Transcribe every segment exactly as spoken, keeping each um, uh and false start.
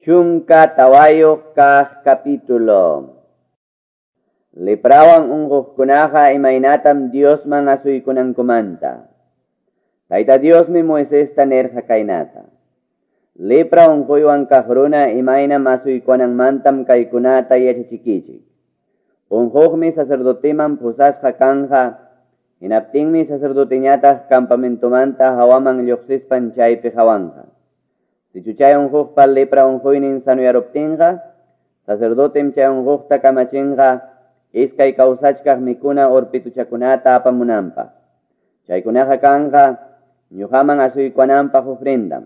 Chunka tawayuq kaq capítulo. Leprawan unquqkunaqa imaynatam Diosman asuykunankumanta. Tayta Diosmi Moisesta nirqa kaynata. Lepra unquywan kaq runa imaynam asuykunanmantam kaykunata yachachikichik. Unquqmi sacerdoteman pusasqa kanja, hinaptinmi sacerdoteñataq campamentomanta hawaman lluqsispan chaypi qhawanqa. Sichu chay unquqpa lepra unquynin sanuyaruptinqa, sacerdotem chay unquqta kamachinqa iskay kawsachkaq mikuna urpituchakunata apamunanpaq. Chaykunaqa kanqa ñuqaman asuykunanpaq ofrendam.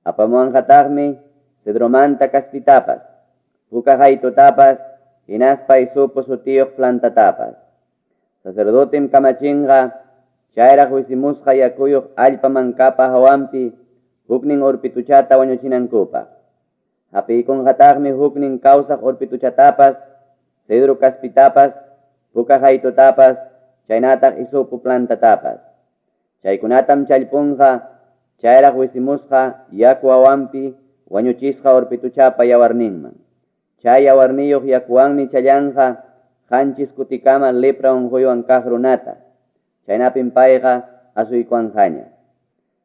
Apamuwanqataqmi cedromanta kaspitapas, puka qaytutapas, hinaspa hisopo sutiyuq plantatapas. Sacerdotem kamachinqa chayraq wisimusqa yakuyuq allpa mankapa hawanpi huknin urpituchata wañuchinankupaq. Hapiykunqataqmi huknin kawsaq urpituchatapas, cedro kaspitapas, puka qaytutapas, chaynataq hisopo plantatapas. Chaykunatam challpunqa chayraq wisimusqa yaku hawanpi wañuchisqa urpituchapa yawarninman. Chay yawarniyuq yakuwanmi challanqa qanchis kutikama lepra unquywan kaq runata. Chaynapim payqa asuykuwanqaña.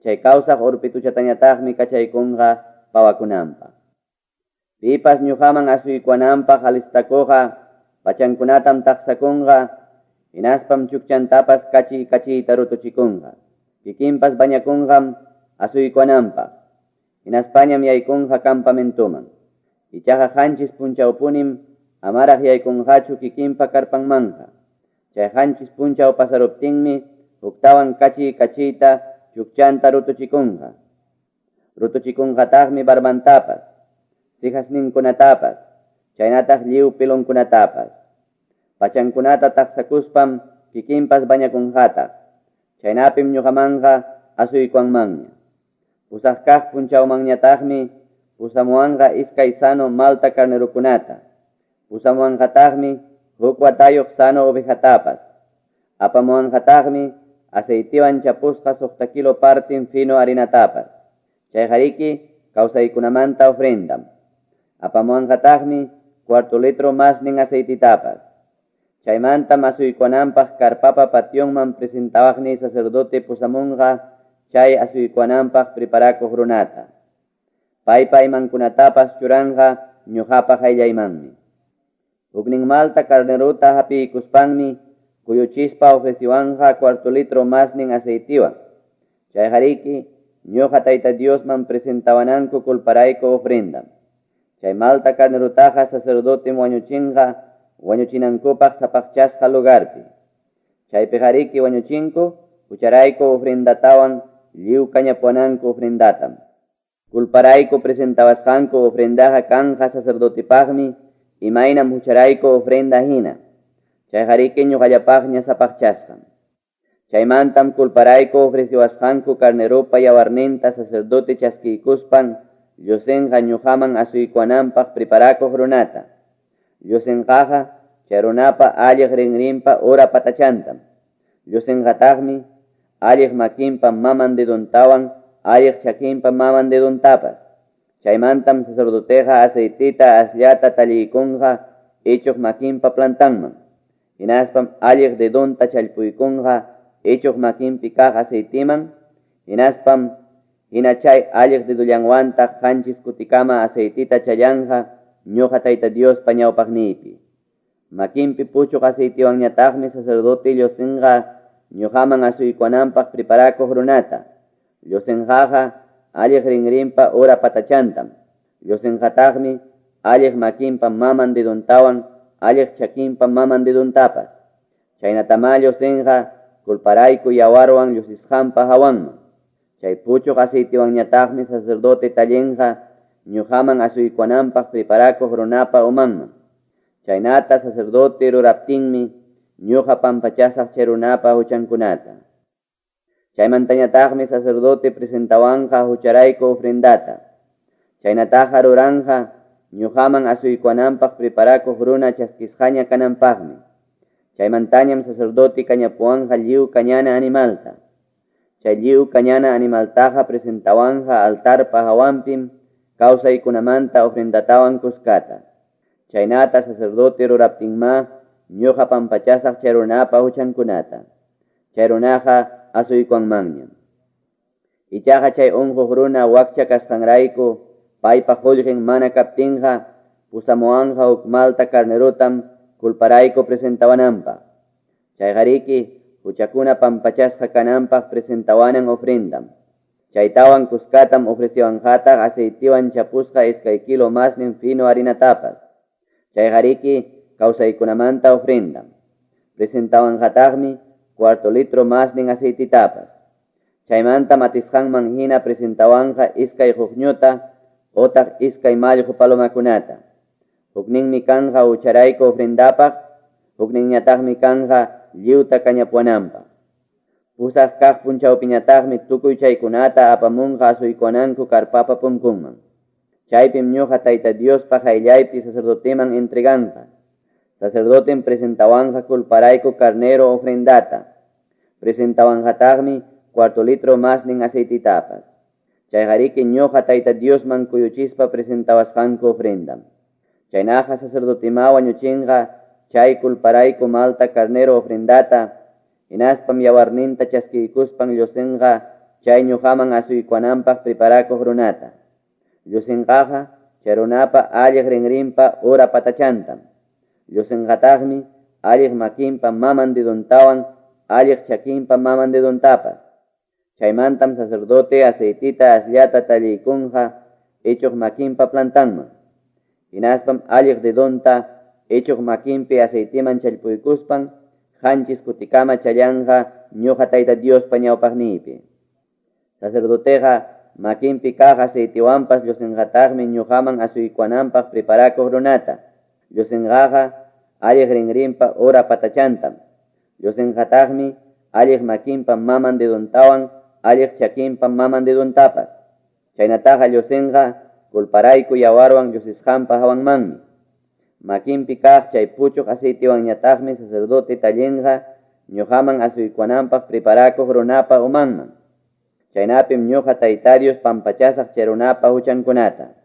Chay kawsaq urpituchatañataqmi kachaykunqa pawakunanpaq. Pipas ñuqaman asuykuwananpaq alistakuqqa pachankunatam taqsakunqa, hinaspam chukchantapas kachi kachita rutuchikunqa. Kikinpas bañakunqam asuykuwananpaq, hinaspañam yaykunqa campamentoman. Ichaqa qanchis punchawpunim amaraq yaykunqachu kikinpa karpanmanqa. Chay qanchis punchaw pasaruptinmi huktawan kachi kachita chukchanta rutuchikunqa. Rutuchikunqataqmi barbantapas, sihasninkunatapas, chaynataq lliw pilonkunatapas. Pachankunata taqsakuspam kikinpas bañakunqataq. Chaynapim ñuqamanqa asuykuwanmanña. Pusaq kaq punchawmanñataqmi pusamuwanqa iskay sano malta carnerukunata. Pusamuwanqataqmi huk watayuq sano ovejatapas. Apamuwanqataqmi aceitiwan chapusqa suqta kilo partin fino harinatapas. Chayqariki kawsaykunamanta ofrendam. Apamuwanqataqmi cuarto litro masnin aceititapas. Chaymantam asuykuwananpaq karpapa pationman presentawaqni sacerdote pusamunqa chay asuykuwananpaq preparakuq runata. Paypa imankunatapas churanqa ñuqapa qayllaymanmi. Huknin malta carneruta hapiykuspanmi kuyuchispa ofreciwanqa cuarto litro masnin aceitiwan. Chayqariki ñuqa Tayta Diosman presentawananku culparayku ofrendam. Chay malta carnerutaqa sacerdotem wañuchinqa wañuchinankupaq sapaqchasqa lugarpi. Chaypiqariki wañuchinku hucharayku ofrendatawan lliw kañapuwananku ofrendatam. Culparayku presentawasqanku ofrendaqa kanja sacerdotepaqmi imaynam hucharayku ofrenda hina. Chayqariki ñuqallapaqña sapaqchasqam. Chaymantam culparayku ofreciwasqanku carnerupa yawarninta sacerdote chaskiykuspan llusinqa ñuqaman asuykuwananpaq preparakuq runata. Llusinqaqa chay runapa alliq rinrinpa ura patachantam. Llusinqataqmi alliq makinpa maman dedontawan alliq chakinpa maman dedontapas. Chaymantam sacerdoteqa aceitita asllata talliykunqa ichuq makinpa plantanman. Hinaspam alliq dedonta challpuykunqa ichuq makinpi kaq aceitiman. Hinaspam hina chay alliq dedullanwantaq qanchis kutikama aceitita challanqa ñuqa Tayta Diospa ñawpaqniypi. Makinpi puchuq aceitiwanñataqmi sacerdote llusinqa ñuqaman asuykuwananpaq preparakuq runata. Llusinqaqa alliq rinrinpa ura patachantam. Llusinqataqmi alliq makinpa maman dedontawan alliq chakinpa maman dedontapas. Chaynatamá llusinqa culparayku yawarwan llusisqanpa hawanman. Chay puchuq aceitiwanñataqmi sacerdote tallinqa ñuqaman asuykuwananpaq preparakuq runapa umanman. Chaynata sacerdote ruraptinmi ñuqa pampachasaq chay runapa huchankunata. Chaymantañataqmi sacerdote presentawanqa hucharayku ofrendata. Chaynataqa ruranqa ñuqaman asuykuwananpaq preparakuq runa chaskisqaña kananpaqmi. Chaymantañam sacerdote kañapuwanqa lliw kañana animalta. Chay lliw kañana animaltaqa presentawanqa altarpa hawanpim kawsaykunamanta ofrendatawan kuskata. Chaynata sacerdote ruraptinma ñuqa pampachasaq chay runapa huchankunata. Chay runaqa asuykuwanmanñam. Ichaqa chay unquq runa wakcha kasqanrayku paypa qullqin mana kaptinqa pusamuwanqa huk malta carnerotam culparayku presentawananpaq. Chayqariki huchakuna pampachasqa kananpaq presentawanan ofrendam. Chaytawan kuskatam ofreciwanqataq aceitiwan chapusqa iskay kilo masnin fino harinatapas. Chayqariki kawsaykunamanta ofrendam. Presentawanqataqmi cuarto litro masnin aceititapas. Chaymanta matisqanman hina presentawanqa iskay quqñuta otaq iskay mallqu palomakunata. Hukninmi kanja hucharayku ofrendapaq, hukninñataqmi kanja lliwta kañapuwananpaq. Pusaq kaq punchawpiñataqmi tukuy chaykunata apamunqa asuykuwananku karpapa punkunman. Chaypim ñuqa Tayta Diospa qayllaypi sacerdoteman entreganqa. Sacerdotem presentawanqa culparayku carnero ofrendata. Presentawanqataqmi cuarto litro masnin aceititapas. Chayqariki ñuqa Tayta Diosman kuyuchispa presentawasqanku ofrendam. Chaynaqa sacerdotima wañuchinqa chay culparayku malta carnero ofrendata, hinaspam yawarninta chaskiykuspan llusinqa chay ñuqaman asuykuwananpaq preparakuq runata. Llusinqaqa chay runapa alliq rinrinpa ura patachantam. Llusinqataqmi alliq makinpa maman dedontawan alliq chakinpa maman dedontapas. Chaymantam sacerdote aceitita asllata talliykunqa ichuq makinpa plantanman. Hinaspam alliq dedonta ichuq makinpi aceitiman challpuykuspan qanchis kutikama challanqa ñuqa Tayta Diospa ñawpaqniypi. Sacerdoteqa makinpi kaq aceitiwanpas llusinqataqmi ñuqaman asuykuwananpaq preparakuq runata. Llusinqaqa alliq rinrinpa ura patachantam. Llusinqataqmi alliq makinpa maman dedontawan alliq chakinpa maman dedontapas. Chaynataqa llusinqa culparayku yawarwan llusisqanpa hawanmanmi. Makinpi kaq chay puchuq aceitiwanñataqmi sacerdote tallinqa ñuqaman asuykuwananpaq preparakuq runapa umanman. Chaynapim ñuqa Tayta Dios pampachasaq chay runapa huchankunata.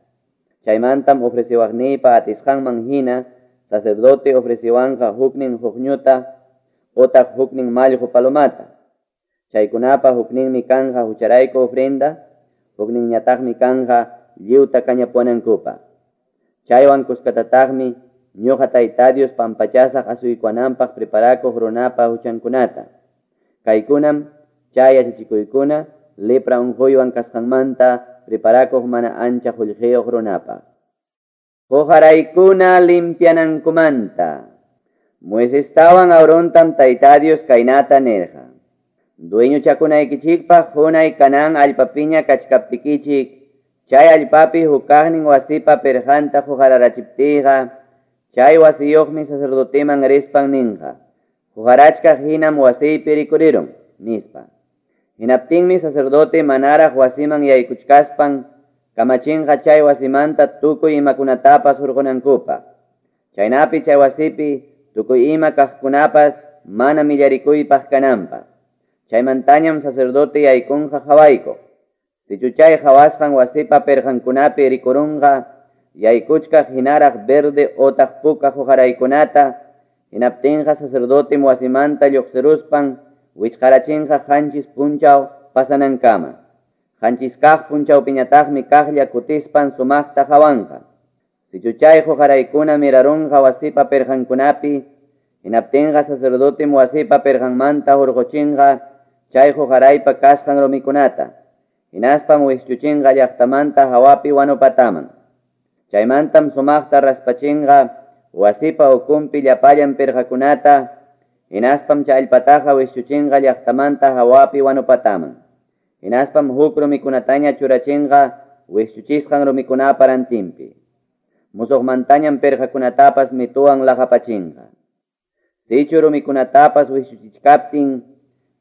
Chaymantam ofreciwaqniypa atisqanman hina sacerdote ofreciwanqa huknin huqñuta otaq huknin mallqu palomata. Chaykunapa hukninmi kanja hucharayku ofrenda, hukninñataqmi kanja lliwta kañapuwanankupaq. Chaywan kuskatataqmi ñuqa Tayta Dios pampachasaq asuykuwananpaq preparakuq runapa huchankunata. Kaykunam chay yachachikuykuna lepra unquywan kasqanmanta preparakuq mana ancha qullqiyuq runapaq. Quqaraykuna limpianankumanta. Moisestawan Aarontam Tayta Dios kaynata nirqa. Dueñochakunaykichikpaq hunay Canaán allpapiña kachkaptikichik, chay allpapi hukaqnin wasipa pirqanta quqararachiptiyqa, chay wasiyuqmi sacerdoteman rispan ninqa, quqarachkaq hinam wasiypi rikurirun, nispa. Hinaptinmi sacerdote manaraq wasiman yaykuchkaspan kamachinqa chay wasimanta tukuy imakunatapas hurqunankupaq. Chaynapi chay wasipi tukuy ima kaqkunapas mana millarikuypaq kananpaq. Chaymantañam sacerdote yaykunqa qhawaykuq. Sichu chay qhawasqan wasipa pirqankunapi rikurunqa yaykuchkaq hinaraq verde otaq puka quqaraykunata, hinaptinqa sacerdotem wasimanta lluqsiruspan wichqarachinqa qanchis punchaw pasanankama. Qanchis kaq punchawpiñataqmi kaqlla kutispan sumaqta qhawanqa. Sichu chay quqaraykuna mirarunqa wasipa pirqankunapi, hinaptinqa sacerdotem wasipa pirqanmanta hurquchinqa chay quqaraypa kasqan rumikunata, hinaspam wischuchinqa llaqtamanta hawapi wanupataman. Chaymantam sumaqta raspachinqa wasipa ukunpi llapallan pirqakunata, hinaspam chay allpataqa wischuchinqa llaqtamanta hawapi wanupataman. Hinaspam huk rumikunataña churachinqa wischuchisqan rumikunapa rantinpi. Musuqmantañam pirqakunatapas mituwan laqapachinqa. Sichu rumikunatapas wischuchichkaptin,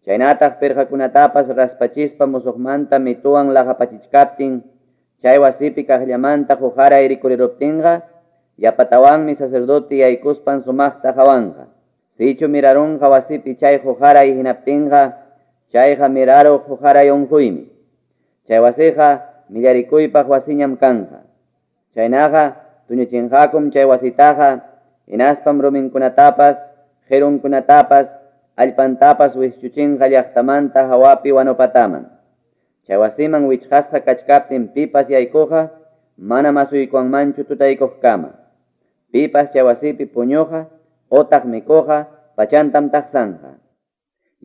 chaynataq pirqakunatapas raspachispa musuqmanta mituwan laqapachichkaptin, chay wasipi kaqllamanta quqaray rikuriruptinqa, yapatawanmi sacerdote yaykuspan sumaqta qhawanqa. Sichu mirarunqa wasipi chay quqaray hinaptinqa, chayqa miraruq quqaray unquymi. Chay wasiqa millarikuypaq wasiñam kanqa. Chaynaqa tuñuchinqakum chay wasitaqa, hinaspam ruminkunatapas, qirunkunatapas, allpantapas wischuchinqa llaqtamanta hawapi wanupataman. Chay wasiman wichqasqa kachkaptin pipas yaykuqa manam asuykuwanmanchu tutaykuqkama. Pipas chay wasipi puñuqa otaq mikuqa pachantam taqsanqa.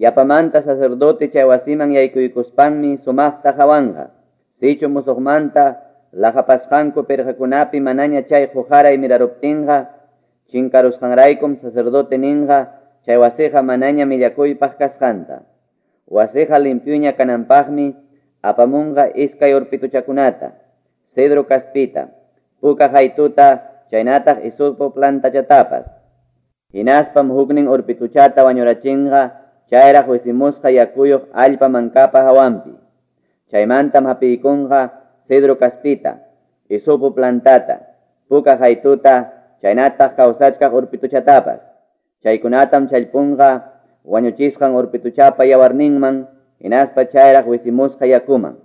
Yapamanta sacerdote chay wasiman yaykuykuspanmi sumaqta hawanqa. Sichu musuqmanta laqapasqanku pirqakunapi manaña chay quqaray miraruptinqa, chinkarusqanraykum sacerdote ninqa chay wasiqa manaña millakuypaq kasqanta. Wasiqa limpyuña kananpaqmi apamunqa iskay urpituchakunata, cedro kaspita, puka haytuta, chaynataq hisopo plantachatapas. Hinaspam huknin urpituchata wañurachinqa chayraq wisimusqa yakuyuq allpa mankapa hawanpi. Chaymantam hapiykunqa cedro kaspita, hisopo plantata, puka haytuta, chaynataq kawsachkaq urpituchatapas. Chaykunatam challpunqa wañuchisqan urpituchapa yawarninman, hinaspa chayraq wisimusqa yakuman.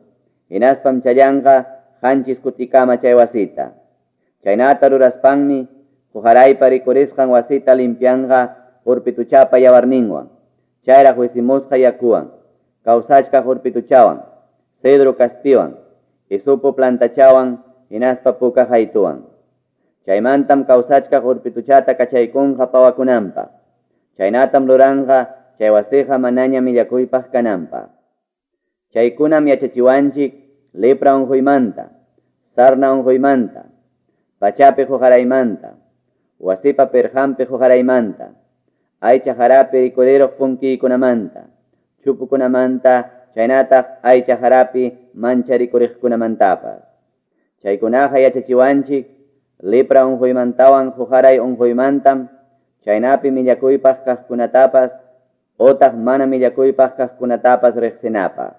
Hinaspam challanqa qanchis kutikama chay wasita. Chaynata ruraspanmi quqaraypa rikurisqan wasita limpianqa urpituchapa yawarninwan, chayraq wisimusqa yakuwan, kawsachkaq urpituchawan, cedro kaspiwan, hisopo plantachawan, hinaspa puka haytuwan. Chaymantam kawsachkaq urpituchata kachaykunqa pawakunanpaq. Chaynatam ruranqa chay wasiqa manaña millakuypaq kananpaq. Chaykunam yachachiwanchik lepra unquymanta, sarna unquymanta, pachapi quqaraymanta, wasipa pirqanpi quqaraymanta, aycha harapi rikuriruq punkiykunamanta, chupukunamanta, chaynataq aycha harapi mancha rikuriqkunamantapas. Chaykunaqa yachachiwanchik lepra unquymantawan quqaray unquymantam, chaynapi millakuypaq kaqkunatapas otaq mana millakuypaq kaqkunatapas riqsinapaq.